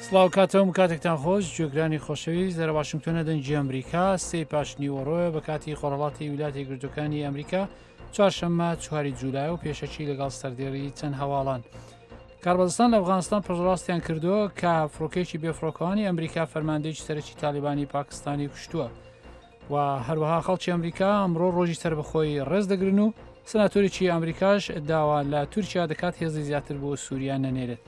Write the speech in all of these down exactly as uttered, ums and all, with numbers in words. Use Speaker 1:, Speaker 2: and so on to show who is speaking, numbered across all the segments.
Speaker 1: سڵاو کاتەوەم کاتێکتان خۆش، گوێگرانی خۆشەویست، لە واشنگتۆنە دەنگی ئەمریکا. سێ پاش نیوەڕۆیە بە کاتی خۆرهەڵاتی ویلایەتە یەکگرتووەکانی ئەمریکا، چوارشەممە چواری جولای و پێشەکی لەگەڵ سەردێڕی چەند هەواڵان. کاربەدەستان لە ئەفغانستان پشتڕاستیان کردووە کە فڕۆکەیەکی بێفڕۆکەوانی ئەمریکا فەرماندەیەکی سەرەکی تالیبانی پاکستانی کوشتووە و هەروەها خەڵکی ئەمریکا ئەمڕۆ ڕۆژی سەربەخۆی ڕێز دەگرن و سناتۆرێکی ئەمریکاش داوا لە تورکیا دەکات هێزی زیاتر بۆ سووریا نەنێرێت.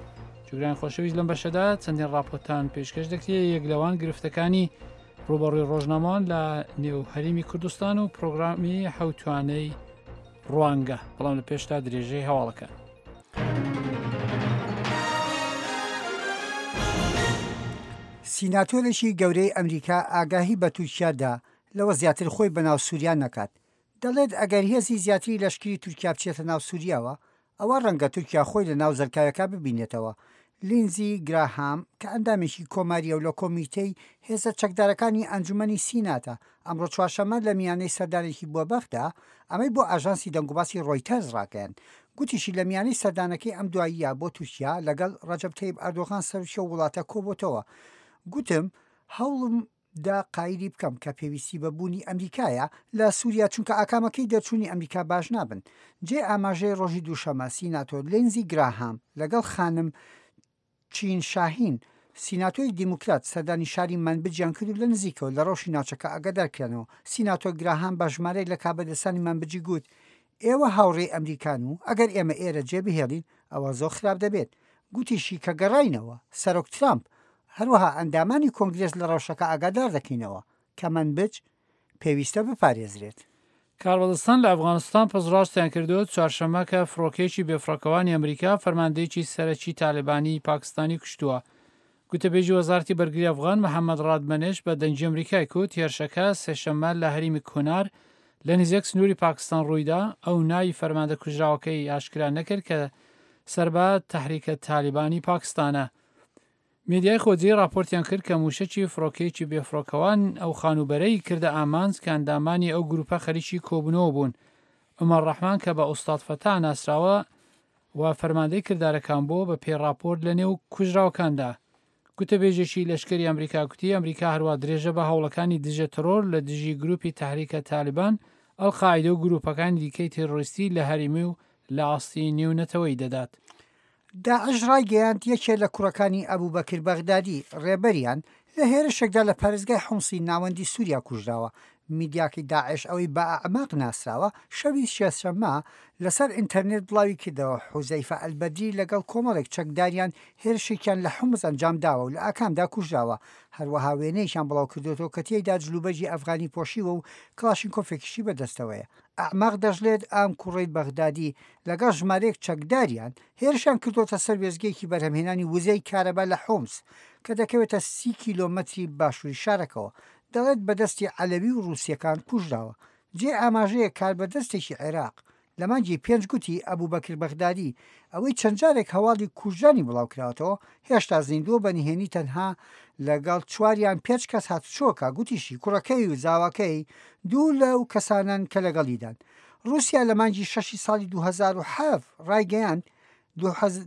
Speaker 1: گوێگرانی خۆشەویست، لەم بەشەدا چەندین راپۆرتان پێشکەش دەکرێت، یەک لەوان گرفتەکانی ڕوبەڕووی ڕۆژنامەوان لە نێو هەرێمی کوردستان و پرۆگرامی حەوتوانەی ڕوانگە، بەڵام لە پێشتا درێژەی هەواڵەکە.
Speaker 2: سیناتۆرێکی گەورەی ئەمریکا ئاگاهی بە تورکیا دا لەوە زیاتر خۆی بەناو سووریا نەکات. دەڵێت ئەگەر هێزی زیاتری لەشکری تورکیا بچێتە ناو سووریاوە، ئەوە ڕەنگە تورکیا خۆی لە ناو زەلکاوەکە ببینێتەوە. لینزی گراهام کە ئەندامێکی کۆماریە و لە کۆمیتەی هێزە چەکدارەکانی ئەنجومەنی سیناتە، ئەمڕۆ چوارشەممە لە میانەی سەردانێکی بۆ بەغدا ئەمەی بۆ ئاژانسی دەنگوباسی ڕۆیتەرز ڕاگەیاند. گوتیشی لە میانەی سەردانەکەی ئەم دواییە بۆ تورکیا لەگەڵ ڕەجەب تەیب ئەردۆغان سەرۆکی ئەو وڵاتە کۆبۆتەوە. گوتم هەوڵم دا قایلی بکەم کە پێویستی بە بوونی ئەمریکایە لە سووریا، چونکە ئاکامەکەی دەرچوونی ئەمریکا باش نابن. جێ ئاماژەی ڕۆژی دووشەمە سیناتۆر لینزی گراهام لەگەڵ خانم چین شاهین سیناتۆی دیموکرات سەردانی شاری مەنبجیان کرد و لە نزیکەوە لە ڕەوشی ناوچەکە ئاگادار کرانەوە. سیناتۆر گراهام بە ژمارەیەک لە کاربەدەستانی مەنبجی گوت ئێوە هاوڕێی ئەمریکان و ئەگەر ئێمە ئێرە جێ بهێڵین ئەوە زۆر خراپ دەبێت. گوتیشی کە گەڕاینەوە سەرۆک ترامپ هەروەها ئەندامانی کۆنگرێس لە ڕەوشەکە ئاگادار دەکەینەوە کە مەنبج پێویستە بپارێزرێت.
Speaker 1: کاربەدەستان لە ئەفغانستان پشتڕاستیان کردووە چوارشەممە کە فڕۆکەیەکی بێفڕۆکەوانی ئەمریکا فەرماندەیەکی سەرەکی تالیبانی پاکستانی کوشتووە. گوتەبێژی وەزارەتی بەرگری ئەفغان محەممەد ڕادمەنێش بە دەنگی ئەمریکای کوت هێرشەکە سێشەممە لە هەرێمی کونار لە نزیک سنووری پاکستان ڕوویدا. ئەو ناوی فەرماندە کوژراوەکەی ئاشکرا نەکرد کە سەر بە تەحریکە تالیبانی پاکستانە. میدیای خۆجێی راپۆرتیان کرد کە موشەکی فڕۆکەیەکی بێفڕۆکەوان ئەو خانووبەرەی کردە ئامانج کە ئەندامانی ئەو گروپە خەریکی کۆبوونەوە بوون. عومەر ڕەحمان کە بە ئوستاد فەتا ناسراوە و فەرماندەی کردارەکان بووە بە پێی راپۆرت لە نێو کوژراوەکاندا. گوتەبێژێکی لەشکری ئەمریکا گوتی ئەمریکا هەروە درێژە بە هەوڵەکانی دژە ترۆر لە دژی گروپی تەحریکە تالیبان، ئەلقاعیدە و گروپەکانی دیکەی تێرۆریستی لە هەرێمی و لە ئاستی نێونەتەوەیی دەدات.
Speaker 2: داعش ڕایگەیاند یەکێ لە کوڕەکانی ئەبوبەکر بەغدادی ڕێبەریان لە هێرشێکدا لە پارێزگای حومسی ناوەندی سووریا کوژراوە. میدیاکەی داعش ئەوەی بە ئەعماق ناسراوە شەوی سێشەممە لەسەر ئینتەرنێت بڵاوی کردەوە حوزەیفە ئەلبەدری لەگەڵ کۆمەڵێک چەکداریان هێرشێکیان لە حومس ئەنجام داوە و لە ئاکامدا کوژراوە. هەروەها وێنەیەکیان بڵاو کردوێتەوە کە تێیدا جلوبەرگی ئەفغانی پۆشیوە و کڵاشینکۆفێکیشی بەدەستەوەیە. ئەعماق دەشڵێت ئەم کوڕەی بەغدادی لەگەڵ ژمارەیەک چەکداریان هێرشیان کردوتە سەر وێستگەیەکی بەرهەمهێنانی وزەی کارەبا لە حومس کە دەکەوێتە سی کیلۆمەتری باشووری شارەکەوە. دەڵێت بەدەستی عەلەوی و ڕووسیەکان کوژراوە. جێ ئاماژەیە کاربەدەستێکی عێراق لە مانگی پێنج گوتی ئەبوبەکر بەغدادی ئەوەی چەند جارێک هەواڵی کوژرانی بڵاوکراوەتەوە هێشتا زیندووە، بە نهێنی تەنها لەگەڵ چواریان پێنج کەس هاتوچۆکە. گوتیشی کوڕەکەی و زاواکەی دوو لەو کەسانەن کە لەگەڵیدان. رووسیا لە مانگی شەشی ساڵی دوو هەزار و حەفت ڕایگەیاند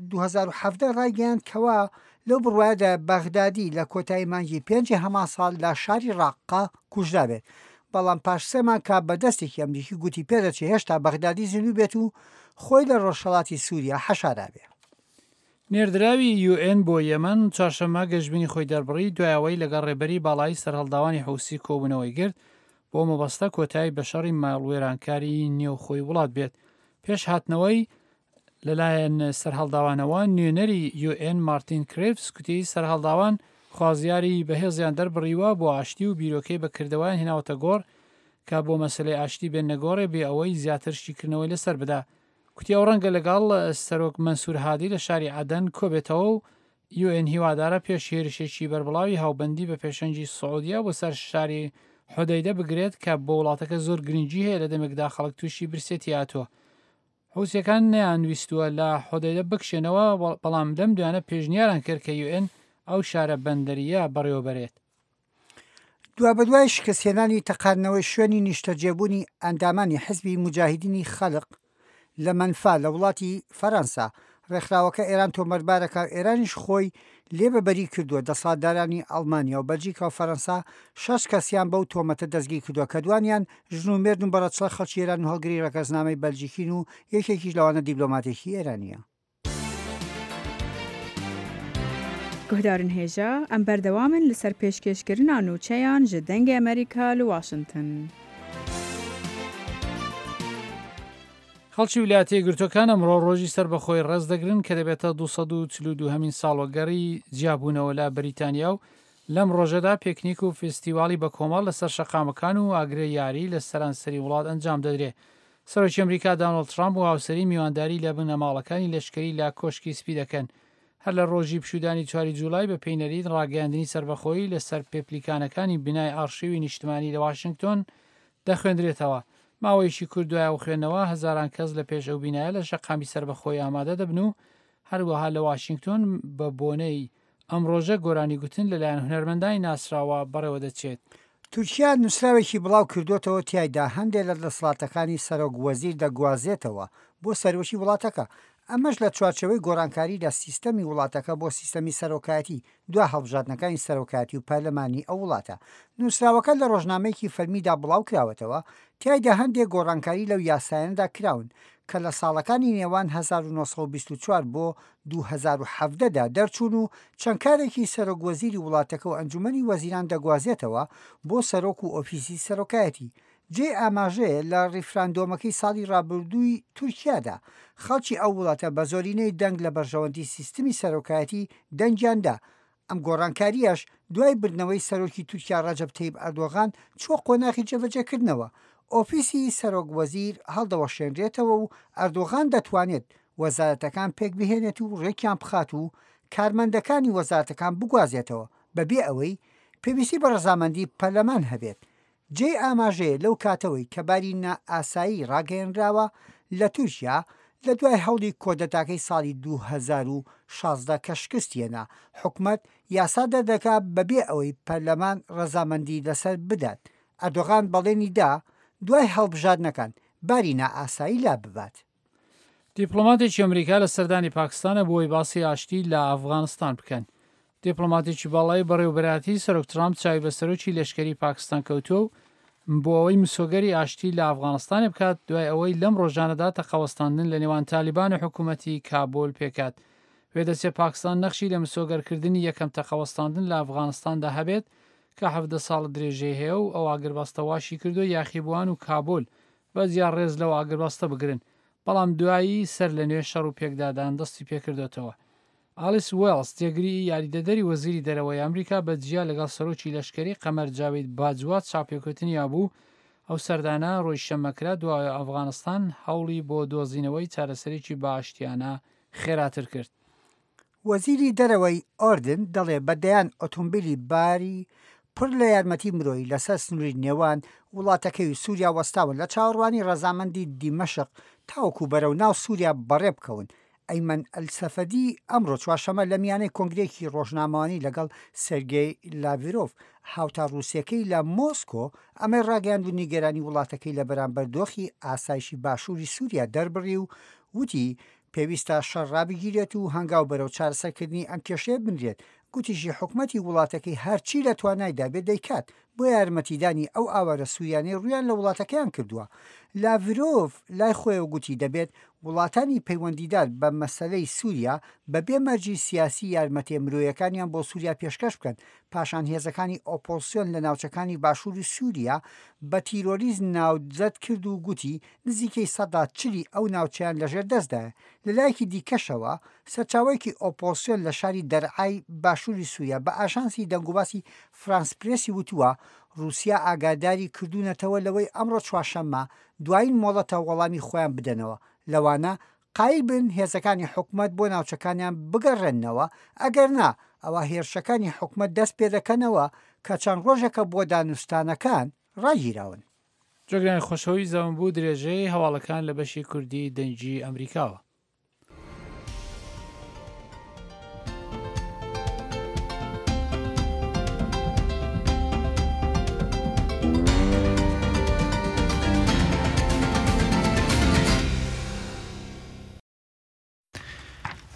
Speaker 2: دوو هەزار و حەڤدە ڕایگەیاند کەوا لەو بڕوایەدا بەغدادی لە کۆتایی مانگی پێنجی هەمان ساڵ لە شاری ڕاققە کوژرابێت، بەڵام پاش سێ مانگ کە بەدەستێکی ئەمریکی گوتی پێدەچێت هێشتا بەغدادی زیندوو بێت و خۆی لە ڕۆژهەڵاتی سووریا حەشارابێ.
Speaker 1: نێردراوی یو ئێن بۆ یەمەن چوارشەممە گەشبینی خۆی دەربڕی دوای ئەوەی لەگەڵ ڕێبەری باڵایی سەرهەڵداوانی حوسی کۆبوونەوەی گرت بۆ مەبەستە کۆتایی بە شەڕی ماڵوێرانکاری نێوخۆی وڵات بێت. پێش هاتنەوەی لەلایەن سەرهەڵداوانەوە نوێنەری یو ئێن مارتین کرێفس گوتی سەرهەڵداوان خوازیاری بەهێزیان دەربڕیوە بۆ ئاشتی و بیرۆکەی بەکردەوەیان هێناوەتە گۆڕ کە بۆ مەسلەی ئاشتی بێن نەگۆڕێ بێ ئەوەی زیاتر شیکردنەوەی لەسەر بدا. کوتی ئەو ڕەنگە لەگەڵ سەرۆک مەنسوور هادی لە شاری عەدەن کۆبێتەوە و یو ئێن هیوادارە پێش هێرشێکی بەربڵاوی هاوبەندی بە پێشەنگی سعودیا بۆ سەر شاری حودەیدە بگرێت کە بۆ وڵاتەکە زۆر گرنگی هەیە لە دەمێکدا خەڵک تووشی برسێتی هاتووە. حوسیەکان نەیانویستووە لە حودەیدە بکشێنەوە، بەڵام لەم دوانە پێشنیاران کرد کە یو ئێن ئەو شارە بەندەریە بەڕێوەبەرێت.
Speaker 2: دوابەدوای شکستهێنانی تەقاندنەوەی شوێنی نیشتەجێبوونی ئەندامانی حزبی موجاهیدینی خەلق لە مەنفا لە وڵاتی فەرەنسا، ڕێکخراوەکە ئێران تۆمەتبارەکە و ئێرانیش خۆی لێ بەبەری کردووە. دەسەڵاتدارانی ئەڵمانیا و بەلجیکا و فەرەنسا شەش کەسیان بەو تۆمەتە دەستگیر کردووە کە دوانیان ژن و مێردن و بە ڕەچەڵەک خەڵکی ئێران و هەڵگری ڕەگەزنامەی بەلجیکین و یەکێکیش لەوانە دیپلۆماتێکی ئێرانییە.
Speaker 3: Guhdarên hêja, em berdewam in li ser pêşkêşkirina nûçeyan ji Dengê Amerîka li Washington.
Speaker 1: خەڵکی ویلایەتە یەکگرتووەکان ئەمڕۆ ڕۆژی سەربەخۆی ڕێز دەگرن کە دەبێتە دوو سەد و چل و دووهەمین ساڵوەگەڕی جیابوونەوە لە بەریتانیا و لەم ڕۆژەدا پێکنیک و فستیواڵی بەکۆمەڵ لەسەر شەقامەکان و ئاگرە یاری لە سەرانسەری وڵات ئەنجام دەدرێت. سەرۆکی ئەمریکا دانۆڵد ترامپ و هاوسەری میوانداری لە بنەماڵەکانی لەشکری لە کۆشکی سپی دەکەن. هەر لە ڕۆژی پشودانی چواری جوولای بە پێی نەریت ڕاگەیاندنی سەربەخۆیی لەسەر پێپلیکانەکانی بینای ئارشیوی نیشتمانی لە واشنگتۆن دەخوێندرێتەوە. ماوەیەکی کورت دوای ئەو خوێندنەوە هەزاران کەس لە پێش ئەو بینایە لە شەقامی سەربەخۆی ئامادە دەبن و هەروەها لە واشنگتۆن بە بۆنەی ئەم ڕۆژە گۆرانی گوتن لەلایەن هونەرمەندانی ناسراوە بەڕێوە دەچێت.
Speaker 2: تورکیا نووسراوێکی بڵاو کردوتەوە، تیایدا هەندێک لە دەسەڵاتەکانی سەرۆک وەزیر دەگوازێتەوە بۆ سەرۆکی وڵاتەکە، ئەمەش لە چوارچێوەی گۆڕانکاری لە سیستەمی وڵاتەکە بۆ سیستەمی سەرۆکایەتی دوا هەڵبژاردنەکانی سەرۆکایەتی و پەرلەمانی ئەو وڵاتە. نووسراوەکە لە ڕۆژنامەیەکی فەرمیدا بڵاو کراوەتەوە، تیایدا هەندێک گۆڕانکاری لەو یاسایانەدا کراون کە لە ساڵەکانی نێوان هەزار و نۆ سەد و بیست و چوار بۆ دوو هەزار و حەڤدە دا دەرچوون و چەند کارێکی سەرۆک وەزیری وڵاتەکە و ئەنجومەنی وەزیران دەگوازێتەوە بۆ سەرۆک و ئۆفیسی سەرۆکایەتی. جێی ئاماژەیە لە ڕیفراندۆمەکەی ساڵی ڕابردووی تورکیادا خەڵکی ئەو وڵاتە بە زۆرینەی دەنگ لە بەرژەوەندی سیستمی سەرۆکایەتی دەنگیان دا. ئەم گۆڕانکاریەش دوای بردنەوەی سەرۆکی تورکیا ڕەجەب تەیب ئەردۆغان چووە قۆناغی جێبەجێکردنەوە. ئۆفیسی سەرۆک وەزیر هەڵدەوەشێنرێتەوە و ئەردۆغان دەتوانێت وەزارەتەکان پێک بهێنێت و ڕێکیان بخات و کارمەندەکانی وەزارەتەکان بگوازێتەوە بەبێ ئەوەی پێویستی بە ڕەزامەندی پەرلەمان هەبێت. جێی ئاماژەیە لەو کاتەوەی کە باری نائاسایی ڕاگەیەنراوە لە تورکیا لە دوای هەوڵی کۆدەتاکەی ساڵی دوو هەزار و شازدە کە شکستیەنا، حکومەت یاسا دەردەکا بەبێ ئەوەی پەرلەمان ڕەزامەندی لەسەر بدات. ئەردۆغان بەڵێنی دا دوای هەڵبژاردنەکان باری نائاسایی لا ببات.
Speaker 1: دیپلۆماتێکی ئەمریکا لە سەردانی پاکستانە بۆ ئەوەی باسی ئاشتی لە ئەفغانستان بکەن. دیپلۆماتێکی باڵای بەڕێوەبەرایەتی سەرۆک ترامپ چاوی بە سەرۆکی لەشکری پاکستان کەوتووە و بۆ ئەوەی مسۆگەری ئاشتی لە ئەفغانستانی بکات دوای ئەوەی لەم ڕۆژانەدا تەقەوەستاندن لە نێوان تالیبان و حکوومەتی کابول پێکات. وێدەچێت پاکستان نەخشی لە مسۆگەرکردنی یەکەم تەقەوەستاندن لە ئەفغانستاندا هەبێت کە حەڤدە ساڵ درێژەی هەیە و ئەو ئاگربەستە واشی کردو یاخیبووان و کابول بە جیا ڕێز لەو ئاگربەستە بگرن، بەڵام دوایی سەر لە نوێ شەڕ و پێکدادان دەستی پێکردوێتەوە. ئالیس وێڵز جێگری یاریدەدەری وەزیری دەرەوەی ئەمریکا بە جیا لەگەڵ سەرۆکی لەشکری قەمەر جاوید باجوا چاپێکوتنی هەبوو. ئەو سەردانە ڕۆژی شەممە کرا دوای ئەفغانستان هەوڵی بۆ دۆزینەوەی چارەسەرێکی باشتیانە خێراتر کرد.
Speaker 2: وەزیری دەرەوەی ئۆردن دەڵێ بە دەیان ئۆتۆمبیلی باری پڕ لە یارمەتی مرۆیی لەسەر سنووری نێوان وڵاتەکەی و سووریا وەستاون لە چاوەڕوانی ڕەزامەندی دیمەشق تاوەکو بەرەو ناو سووریا بەڕێ بکەون. ئەیمەن ئەلسەفەدی ئەمڕۆ چوارشەممە لە میانەی کۆنگرێکی ڕۆژنامەوانی لەگەڵ سێرگێی لاڤرۆڤ هاوتا ڕووسیەکەی لە مۆسکۆ ئەمەی ڕاگەیاند و نیگەرانی وڵاتەکەی لە بەرامبەر دۆخی ئاسایشی باشووری سووریا دەربڕی و وتی پێویستە شەڕ ڕابگیرێت و هەنگاو بەرەو چارەسەرکردنی ئەم کێشەیە بنرێت. گوتیشی حکومەتی وڵاتەکەی هەرچی لە توانایدا بێت دەیکات بۆ یارمەتیدانی ئەو ئاوارە سووریانەی ڕوویان لە وڵاتەکەیان کردووە. لاڤرۆڤ لای خۆیەوە گوتی دەبێت وڵاتانی پەیوەندیدار بە مەسەلەی سووریا بەبێ مەرجی سیاسی یارمەتیە مرۆیەکانیان بۆ سووریا پێشکەش بکەن. پاشان هێزەکانی ئۆپۆزسیۆن لە ناوچەکانی باشووری سووریا بە تیرۆریست ناوزەد کرد و گوتی نزیکەی سەدا چلی ئەو ناوچەیان لەژێر دەستدایە. لەلایەکی دیکەشەوە سەرچاوەیەکی ئۆپۆزسیۆن لە شاری دەرعای باشووری سووریا بە ئاژانسی دەنگوباسی فرانس پرێسی وتووە رووسیا ئاگاداری کردوونەتەوە لەوەی ئەمڕۆ چوارشەممە دوایین مۆڵەتە وەڵامی خۆیان بدەنەوە، لەوانە قایل بن هێزەکانی حکومەت بۆ ناوچەکانیان بگەڕێننەوە، ئەگەر نا ئەوە هێرشەکانی حکومەت دەست پێدەکەنەوە کە چەند ڕۆژێکە بۆ دانوستانەکان ڕاگیراون.
Speaker 1: جۆگرانی خۆشەویست زەمن بوو درێژەی هەواڵەکان لە بەشی کوردی دەنگی ئەمریکاوە.